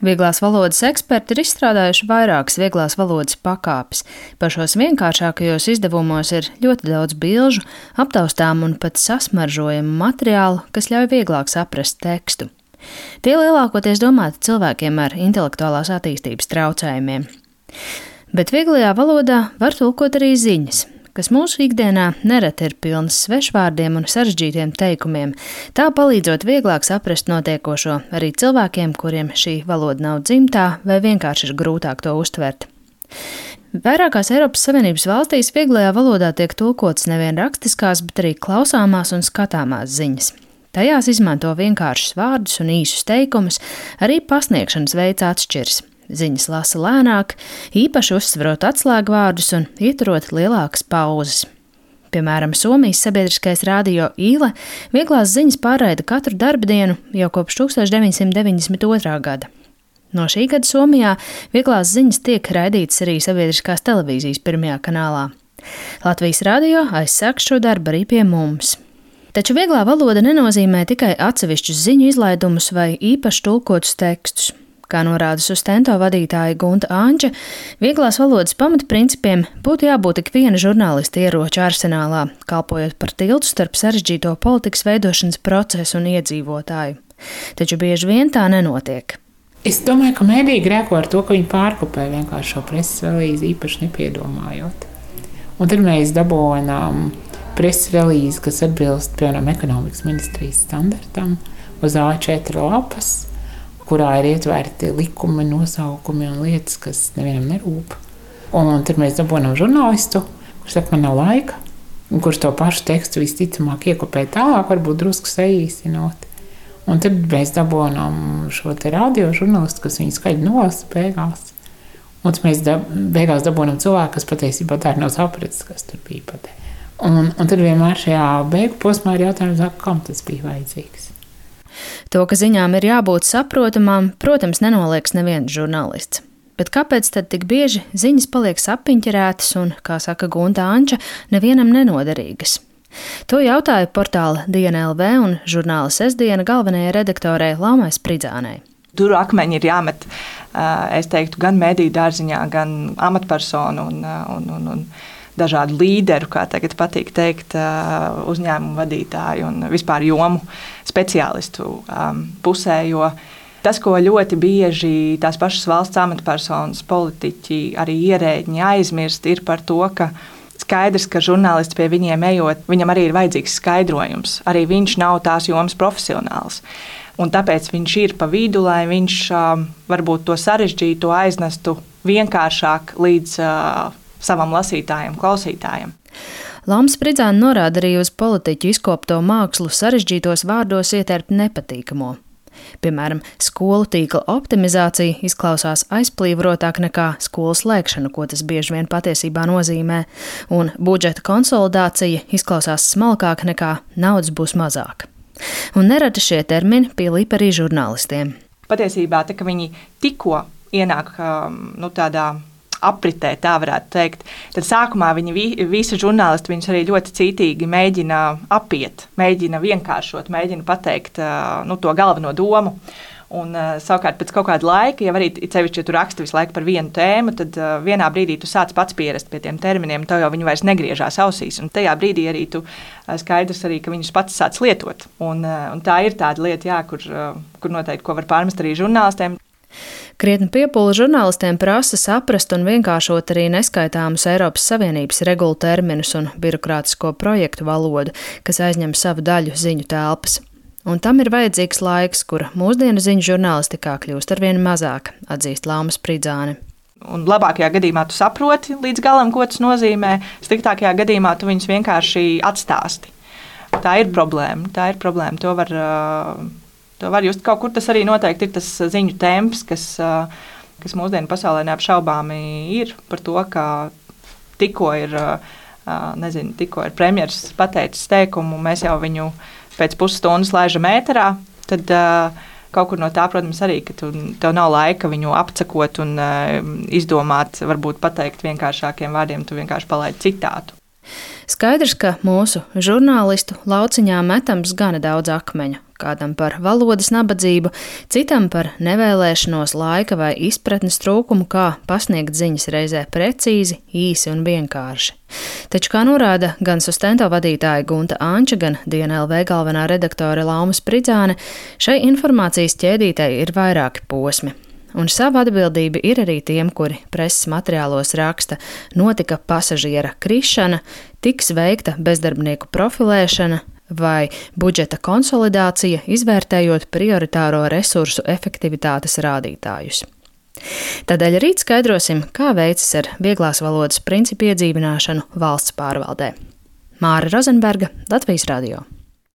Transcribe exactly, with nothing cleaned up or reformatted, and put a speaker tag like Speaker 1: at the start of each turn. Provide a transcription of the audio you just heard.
Speaker 1: Vieglās valodas eksperti ir izstrādājuši vairākas vieglās valodas pakāpes. Pašos vienkāršākajos izdevumos ir ļoti daudz bilžu, aptaustām un pat sasmaržojumu materiālu, kas ļauj vieglāk saprast tekstu. Tie lielākoties domāti cilvēkiem ar intelektuālās attīstības traucējumiem. Bet vieglajā valodā var tulkot arī ziņas, kas mūsu ikdienā nereti ir pilnas svešvārdiem un sarežģītiem teikumiem, tā palīdzot vieglāk saprast notiekošo arī cilvēkiem, kuriem šī valoda nav dzimtā vai vienkārši ir grūtāk to uztvert. Vairākās Eiropas Savienības valstīs vieglajā valodā tiek tulkotas nevien rakstiskās, bet arī klausāmās un skatāmās ziņas. Tajās izmanto vienkāršus vārdus un īsus teikumus, arī pasniegšanas veids atšķiras. Ziņas lasa lēnāk, īpaši uzsverot atslēgvārdus un ieturot lielākas pauzes. Piemēram, Somijas sabiedriskais radio Yle vieglās ziņas pārraida katru darbdienu jau kopš tūkstoš deviņsimt deviņdesmit otrā gada. No šī gada Somijā vieglās ziņas tiek raidītas arī sabiedriskās televīzijas pirmajā kanālā. Latvijas radio aizsāk šo darbu arī pie mums. Taču vieglā valoda nenozīmē tikai atsevišķus ziņu izlaidumus vai īpaši tulkotus tekstus. Kā norāda Sustento vadītāja Gunta Anča, vieglās valodas pamatprincipiem būtu jābūt ik viena žurnālista ieroču arsenālā, kalpojot par tiltu starp sarežģīto politikas veidošanas procesu un iedzīvotāju. Taču bieži vien tā nenotiek.
Speaker 2: Es domāju, ka mēdī grēko ar to, ka viņi pārkopē vienkārši šo preses relīzi īpaši nepiedomājot. Un tad mēs dabūjām preses relīzi, kas atbilst, piemēram, ekonomikas ministrijas standartam, uz A četri lapas, kurā ir ietvērti likumi, nosaukumi un lietas, kas nevienam nerūp. Un tad mēs dabūjam žurnālistu, kurš saka, man nav laika, un kurš to pašu tekstu visticamāk iekopē tālāk, varbūt drusku saīsinot. Un tad mēs dabūjam šo te radio žurnālistu, kas viņu skaļi nolasa beigās. Un tad mēs dab, beigās dabūjam cilvēku, kas patiesībā tā ir nav sapratis, kas tur bija patē. Un, un tad vienmēr šajā beigu posmā ir jautājums, kam tas bija vajadzīgs.
Speaker 1: To, ka ziņām ir jābūt saprotamām, protams, nenolieks neviens žurnālists. Bet kāpēc tad tik bieži ziņas paliek sapiņķerētas un, kā saka Gunta Anča, nevienam nenoderīgas? To jautāja portāla Diena L V un žurnāla Sestdiena galvenajai redaktorei Laumai Spridzānei.
Speaker 3: Tur akmeņi ir jāmet, es teiktu, gan mediju dārziņā, gan amatpersonu un, un, un, un dažādu līderu, kā tagad patīk teikt, uzņēmumu vadītāju un vispār jomu speciālistu pusē, jo tas, ko ļoti bieži tās pašas valsts amatpersonas, politiķi, arī ierēģiņi aizmirst, ir par to, ka skaidrs, ka žurnālists pie viņiem ejot, viņam arī ir vajadzīgs skaidrojums. Arī viņš nav tās jomas profesionāls. Un tāpēc viņš ir pa vidu, lai viņš varbūt to sarežģīto aiznestu vienkāršāk līdz savam lasītājam, klausītājam.
Speaker 1: Lauma Spridzāne norāda arī uz politiķu izkopto mākslu sarežģītos vārdos ietērpt nepatīkamo. Piemēram, skolu tīkla optimizācija izklausās aizplīvrotāk nekā skolu slēgšana, ko tas bieži vien patiesībā nozīmē, un budžeta konsolidācija izklausās smalkāk nekā naudas būs mazāk. Un nereti šie termini pielīp arī žurnālistiem.
Speaker 3: Patiesībā, tā, ka viņi tikko ienāk nu, tādā apritē, tā varētu teikt, tad sākumā viņi vi, visi žurnālisti viņus arī ļoti cītīgi mēģina apiet, mēģina vienkāršot, mēģina pateikt nu, to galveno domu. Un savukārt pēc kaut kāda laika, ja arī cevišķi, ja tu raksti visu laiku par vienu tēmu, tad vienā brīdī tu sāc pats pierast pie tiem terminiem, tev jau viņi vairs negriežās ausīs, un tajā brīdī arī tu skaidrs arī, ka viņus pats sāc lietot. Un, un tā ir tāda lieta, jā, kur, kur noteikti, ko var pārmest arī žurnālistiem.
Speaker 1: Krietni piepūle žurnālistiem prasa saprast un vienkāršot arī neskaitāmus Eiropas Savienības regulu terminus un birokrātisko projektu valodu, kas aizņem savu daļu ziņu telpas. Un tam ir vajadzīgs laiks, kura mūsdienu ziņu žurnālistikā kļūst arvien mazāk, atzīst Lauma Spridzāne.
Speaker 3: Un labākajā gadījumā tu saproti līdz galam, ko tas nozīmē, sliktākajā gadījumā tu viņus vienkārši atstāsti. Tā ir problēma, tā ir problēma, to var... To var just kaut kur tas arī noteikti ir tas ziņu temps, kas, kas mūsdienu pasaulē neapšaubāmi ir par to, ka tikko ir, nezinu, tikko ir premjeras pateicis teikumu, mēs jau viņu pēc pusstundas laižam ēterā, tad kaut kur no tā, protams, arī, ka tu, tev nav laika viņu apcakot un izdomāt, varbūt pateikt vienkāršākiem vārdiem, tu vienkārši palaidi citātu.
Speaker 1: Skaidrs, ka mūsu žurnālistu lauciņā metams gana daudz akmeņu, kādam par valodas nabadzību, citam par nevēlēšanos laika vai izpratnes trūkumu, kā pasniegt ziņas reizē precīzi, īsi un vienkārši. Taču, kā norāda gan Sustento vadītāja Gunta Anča, gan Diena L V galvenā redaktore Lauma Spridzāne, šai informācijas ķēdītei ir vairāki posmi. Un sava atbildība ir arī tiem, kuri preses materiālos raksta: notika pasažiera krišana, tiks veikta bezdarbnieku profilēšana vai budžeta konsolidācija, izvērtējot prioritāro resursu efektivitātes rādītājus. Tādēļ rīt skaidrosim, kā veicas ar vieglās valodas principu iedzīvināšanu valsts pārvaldē. Māra Rozenberga, Latvijas radio.